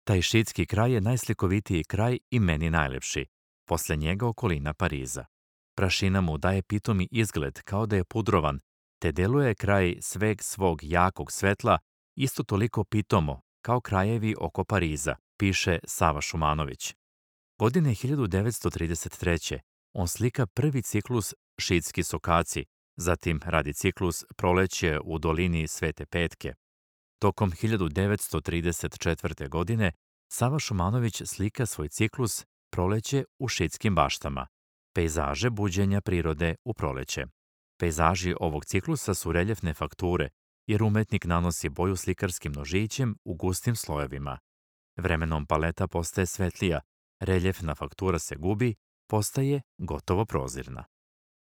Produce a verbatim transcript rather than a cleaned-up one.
Taj šitski kraj je najslikovitiji kraj i meni najlepši. Posle njega okolina Pariza. Prašina mu daje pitomi izgled kao da je pudrovan, te deluje kraj sveg svog jakog svetla isto toliko pitomo kao krajevi oko Pariza, piše Sava Šumanović. Godine hiljadu devetsto trideset treće. on slika prvi ciklus Šitski sokaci, zatim radi ciklus Proleće u dolini Svete Petke. Tokom hiljadu devetsto trideset četvrte. godine Sava Šumanović slika svoj ciklus Proleće u Šitskim baštama, pejzaže buđenja prirode u proleće. Pejzaži ovog ciklusa su reljefne fakture, jer umetnik nanosi boju slikarskim nožićem u gustim slojevima. Vremenom paleta postaje svetlija, reljefna faktura se gubi, postaje gotovo prozirna.